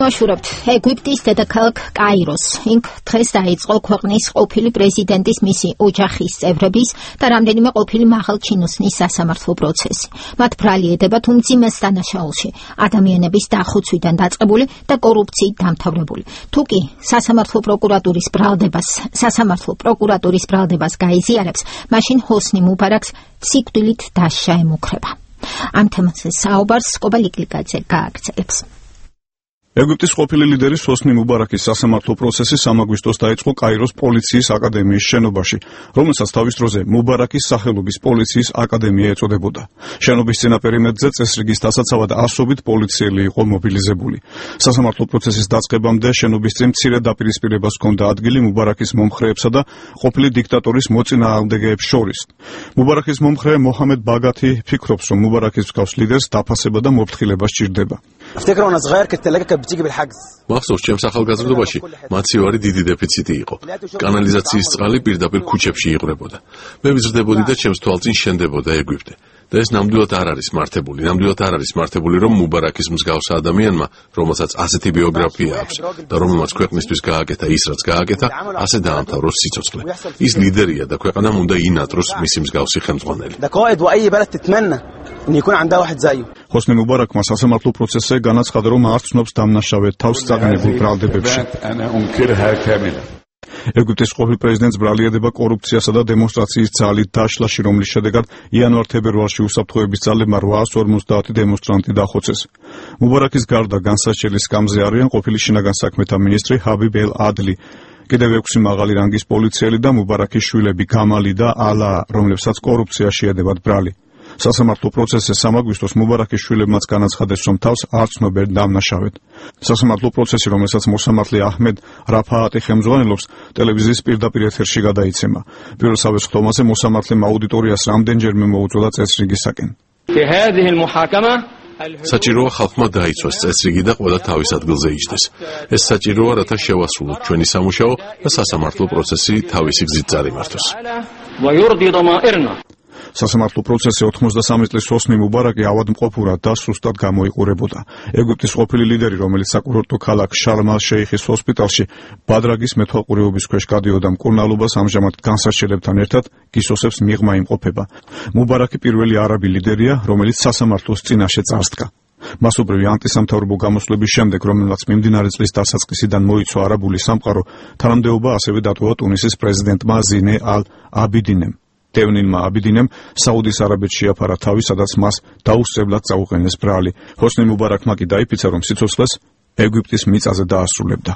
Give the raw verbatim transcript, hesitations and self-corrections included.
მოვაშურებთ ეგვიპტის დედაქალაქ კაიროს. იქ დღეს დაიწყო ქვეყნის ყოფილი პრეზიდენტის მისი ოჯახის წევრების და რამდენიმე ყოფილი მაღალჩინოსნის სასამართლო პროცესი. მათ ბრალი ედებათ უმძიმეს დანაშაულში, ადამიანების დახოცვიდან დაწყებული და კორუფციით დამთავრებული. თუ კი სასამართლო პროკურატურის ბრალდებას, სასამართლო პროკურატურის ბრალდებას გაიზიარებს, მაშინ ჰოსნი მუბარაკს სიკვდილით დასჯა ემუქრება. ამ თემაზე საუბარს კობალიკლიკაძე გააგრძელებს. ეგვიპტის ყოფილი ლიდერის ჰოსნი მუბარაკის სასამართლო პროცესი სამ აგვისტოს დაიწყო კაიროს პოლიციის აკადემიის შენობაში, რომელსაც თავის დროზე მუბარაკის სახელობის პოლიციის აკადემია ეწოდებოდა. შენობის წინა პერიმეტრზე წესრიგის დასაცავად ასობით პოლიციელი იყო მობილიზებული. სასამართლო პროცესის დაწყებამდე შენობის წინ მცირე დაპირისპირებას ჰქონდა ადგილი მუბარაკის მომხრეებსა და ყოფილი დიქტატორის მოწინააღმდეგეებს შორის. მუბარაკის მომხრე მოჰამედ ბაგათი ფიქრობს, რომ მუბარაკის მსგავს ლიდერს დაფასება და მოფრთხილება სჭირდება. მახსოვს, ჩემს ახალგაზრდობაში მაცივარი დიდი დეფიციტი იყო. კანალიზაციის წყალი პირდაპირ ქუჩებში იყვრებოდა. მე ვიზრდებოდი და ჩემს თვალწინ შენდებოდა ეგვიპტე. და ეს ნამდვილად არ არის მართებული, ნამდვილად არ არის მართებული, რომ მუბარაკის მსგავს ადამიანმა, რომელსაც ასეთი ბიოგრაფია აქვს და რომელმაც ქვეყნისთვის გააკეთა ის, რაც გააკეთა, ასე დაამთავროს სიცოცხლე. ის ლიდერია და ქვეყანამ უნდა ინატროს მისი მსგავსი ხელმძღვანელი. ჰოსნი მუბარაკმა სასამართლო პროცესზე განაცხადა, რომ არ ცნობს დამნაშავედ თავს წაგნებულ ბრალდებებში. ეგვიპტის ყოფილ პრეზიდენტს ბრალი ედება კორუფციასა და დემონსტრაციის ძალით დაშლაში, რომლის შედეგად იანვარ-თებერვალში უსაფრთხოების ძალებმა რვაას ორმოცდაათი დემონსტრანტი დახოცეს. მუბარაკის გარდა განსაჩელის სკამზე არიან ყოფილი შინაგან საქმეთა მინისტრი ჰაბიბ ელ ადლი, კიდევ ექვსი მაღალი რანგის პოლიციელი და მუბარაკის შვილები გამალი და ალა, რომლებსაც კორუფციაში ედებათ ბრალი. სასამართლო პროცესზე სამ აგვისტოს მუბარაკის შვილებმაც განაცხადეს, რომ თავს არ ცნობენ დამნაშავედ. სასამართლო პროცესი, რომელსაც მოსამართლე აჰმედ რაფაატი ხელმძღვანელობს, ტელევიზიის პირდაპირ ეთერში გადაიცემა. პირველსავე სხდომაზე მოსამართლემ აუდიტორიას რამდენჯერმე მოუწოდა წესრიგისაკენ. საჭიროა ხალხმა დაიცვას წესრიგი და ყველა თავის ადგილზე იჯდეს. ეს საჭიროა, რათა შევასრულოთ ჩვენი სამუშაო და სასამართლო პროცესი თავისი გზით წარიმართოს. სასამართლო პროცესი ოთხმოცდასამი წლის ჰოსნი მუბარაკი ავადმყოფურად და სუსტად გამოიყურებოდა. ეგვიპტის ყოფილი ლიდერი, რომელიც საკურორტო ქალაქ შარმ-ალ-შეიხის ჰოსპიტალში ბადრაგის მეთვალყურეობის ქვეშ გადიოდა მკურნალობას, ამჟამად განსარჩელებთან ერთად გისოსებს მიღმა იმყოფება. მუბარაკი პირველი არაბი ლიდერია, რომელიც სასამართლოს წინაშე წარსდგა. მასობრივი ანტისამთავრობო გამოსვლების შემდეგ, რომელმაც მიმდინარე წლის დასაწყისიდან მოიცვა არაბული სამყარო, თანამდებობა ასევე დატოვა ტუნისის პრეზიდენტმა ზინე ალ-აბიდინემ. დევნილმა აბიდინემ საუდის არაბეთში შეაფარა თავი, სადაც მას დაუსწრებლად წაუყენეს ბრალი. ჰოსნი მუბარაკმა კი დაიფიცა, რომ სიცოცხლეს ეგვიპტის მიწაზე დაასრულებდა.